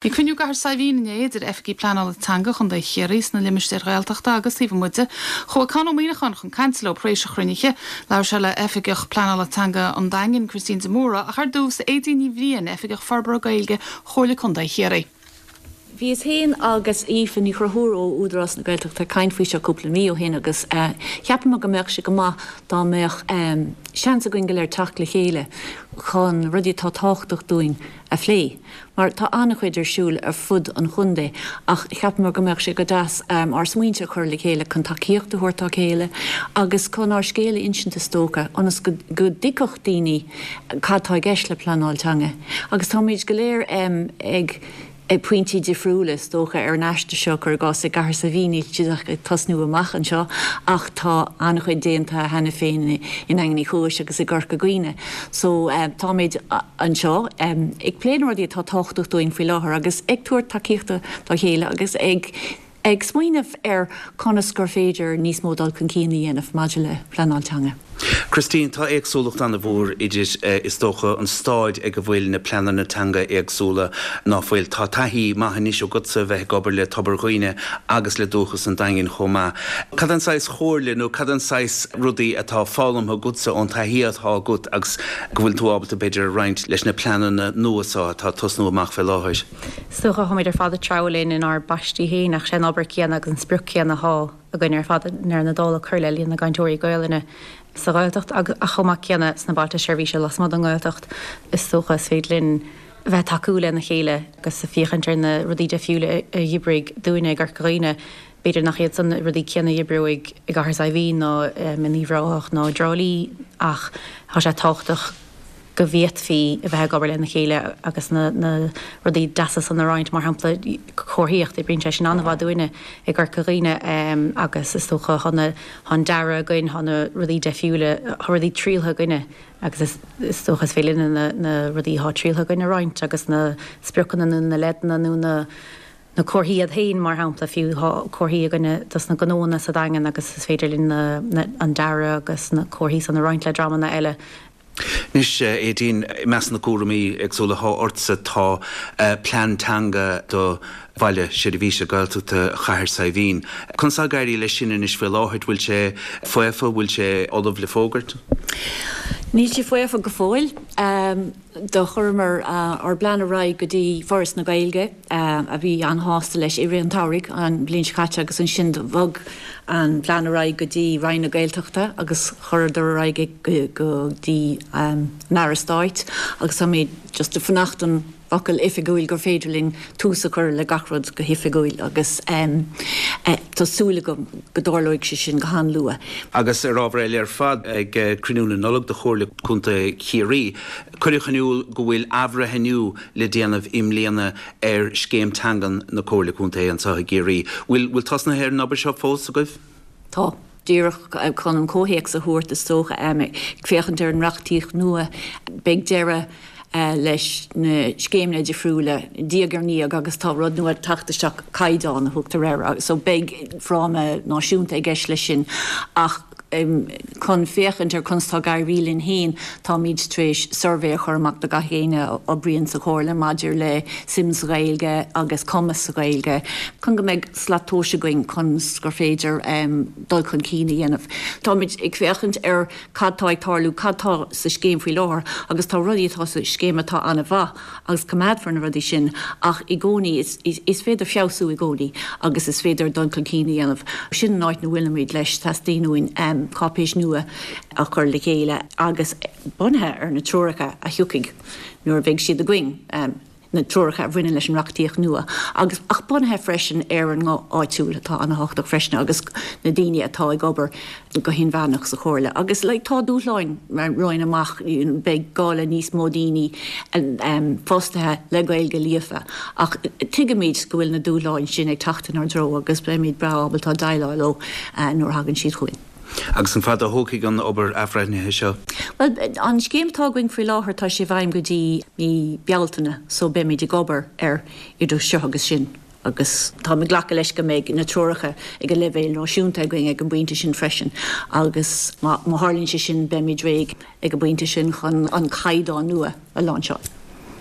Bhí cruinniú i gCathair Saidhbhín inné idir oifigigh pleanála teanga Chontae Chiarraí sna limistéir Ghaeltachta agus taobh amuigh de. Chuaigh Conn Ó Muíneacháin chun cainte leo tar éis an chruinnithe. Labhair sé le hOifigeach Pleanála Teanga an Daingin, Christine de Mórdha, ach ar dtús, Aedín Ní Bhriain, Oifigeach Forbartha Gaeilge Chomhairle Contae Chiarraí. Bhíos féin agus Aoife Ní Chonchúir ó Údarás na Gaeltachta ag caint faoi seo cúpla mí ó shin agus cheapamar go mbeadh sé go maith dá mbeadh seans againn go léir teacht le chéile chun rudaí atá tábhachtach dúinn a phlé. Mar tá an-chuid ar siúl ar fud an chontae ach cheapamar go mbeadh sé go deas ár smaointe a chur le chéile chun tacaíocht a thabhairt dá chéile agus chun ár scéal a insint is dócha ionas go dtuigfeadh daoine cad tá i gceist le pleanáil teanga. Agus táimid go léir ag ag pointí difriúla is dócha ar an aistear seo, cuir i gcás i gCathair Saidhbhín níl siad ach ag tosnú amach anseo ach tá an-chuid déanta cheana féin i nDaingean Uí Chúis agus i gCorca Dhuibhne. So táimid anseo ag plé na rudaí atá tábhachtach dúinn faoi láthair agus ag tabhairt tacaíochta dá chéile agus ag ag smaoineamh ar conas gur féidir níos mó dul chun cinn a dhéanamh maidir le pleanáil teanga. Christine, tá éagsúlacht an-mhór idir, is dócha, an stáid ag a bhfuil na pleananna teanga éagsúla, ná fuil? Tá taithí maith anois agatsa a bheith ag obair le Tobar Dhuibhne agus le Dúchas an Daingin chomh maith. Cad é an saghas chomhairle nó cad é an saghas rudaí atá foghlamtha agatsa ón taithí atá agat agus go bhfuil tú ábalta b'fhéidir a roinnt leis na pleananna nua seo atá ag tosnú amach fé láthair? Is dócha, táimid ar fad ag treabhadh linn inár bpaistí féin ach sé an obair céanna agus an sprioc céanna atá againn ar fad i ndeireadh na dála cur le líon na gcainteoirí Gaelainne sa Ghaeltacht agus ach chomh maith céanna sna bailte seirbhíse lasmuigh den nGaeltacht. Is dócha is féidir linn a bheith ag tacú lena chéile agus ag féachaint ar na rudaí deifriúla a dh'oibrigh dúinne i gCorca Dhuibhne. B'fhéidir nach iad san na rudaí céanna a dh'oibreoidh i gCathair Saidhbhín ná in Uíbh Ráthach ná i dTrá Lí ach tá sé tábhachtach go bhféadfaí a bheith ag obair lena chéile agus na rudaí deasa san a roinnt, mar shampla comharthaíocht, oibríonn sé sin an-mhaith dúinne i gCorca Dhuibhne agus is dócha tá na, tá an dearadh againn, tá na rudaí deifriúla, tá rudaí trialtha againne agus is is dócha is féidir linne na rudaí atá trialtha againn a roinnt agus na spriocanna nó na leideanna nó na na comharthaí iad féin, mar shampla, fiú tá comharthaí againne dos na gnóanna sa Daingean agus is féidir linn na, na, an dearadh agus na comharthaí san a roinnt le dreamanna eile. Anois, Aedín, i measc na gcúraimí éagsúla atá ortsa tá plean teanga do Bhaile Seirbhíse Gaeltachta Chathair Saidhbhín. Conas tá ag éirí leis sin anois faoi láthair? Bhfuil sé faofa? Bhfuil sé ullamh le fógairt? Níl sé faofa go fóill. Do chuireamar ár bplean ar aghaidh go dtí Foras na Gaeilge, a bhí an-shásta leis i rith an tsamhraidh an bhliain seo caite agus ansin do bhog an plean ar aghaidh go dtí Roinn na Gaeltachta agus chuireadar ar aghaidh é go dtí an Aire Stáit agus táimid just ag fanacht don fhocal oifigiúil gur féidir linn tús a chur le gach rud go hoifigiúil agus tá súil agam go dtarlóidh sé sin go han-luath. Agus ar ábhar eile ar fad, ag cruinniú na Nollag de Chomhairle Contae Chiarraí, cuireadh in iúl go bhfuil athbhreithniú le déanamh i mbliana ar Scéim Teangan na Comhairle Contae anseo i gCiarraí. Bhfuil bhfuil tosnaithe ar an obair seo fós agaibh? Tá. Díreach chun an comhthéacs a thabhairt, is dócha, ag féachaint ar an reachtaíocht nua, beidh deireadh leis na scéimeanna difriúla diaidh ar ndiaidh agus tá rud nua ag teacht isteach, caighdeán a thugtar air, so beidh fráma náisiúnta i gceist leis sin ach chun féachaint ar conas tá ag éirí linn féin, táimid tar éis suirbhé a chur amach do gach éinne a oibríonn sa Chomhairle maidir le suim sa Ghaeilge agus cumas sa Ghaeilge, chun go mbeidh slat tomhais againn conas gur féidir dul chun cinn a dhéanamh. Táimid ag féachaint ar cad tá ag tarlú, cad tá sa scéim faoi láthair agus tá rudaí atá sa scéim atá an-mhaith agus coimeádfar na rudaí sin ach i gcónaí is féidir feabhsú i gcónaí agus is féidir dul chun cinn a dhéanamh. Sin an áit ina bhfuilimid leis, teastaíonn uainn cáipéis nua a chur le chéile agus bunaithe ar na treoracha a thiocfaidh nuair a bheidh siad againn. na treoracha a bhaineann leis an reachtaíocht nua agus ach bunaithe freisin ar an nguth áitiúil atá an-thábhachtach freisin agus na daoine atá ag obair go hinmheánach sa Chomhairle. Agus like tá dúshláin romhainn amach, beidh gá le níos mó daoine fostaithe le Gaeilge líofa ach tuigimid go bhfuil na dúshláin sin ag teacht inár dtreo agus beimid breá ábalta déileáil leo nuair a thagann siad chugainn. Agus an fada a thógfaidh an obair athbhreithnithe seo? Bhuel, an scéim atá againn faoi láthair, tá sé i bhfeidhm go dtí mí Bealtaine so beimid ag obair air idir seo agus sin agus táim ag glacadh leis go mbeidh na treoracha ag an leibhéal náisiúnta againn ag an bpointe sin freisin agus má tharlaíonn sé sin beimid réidh ag an bpointe sin chun an caighdeán nua a láinseáil.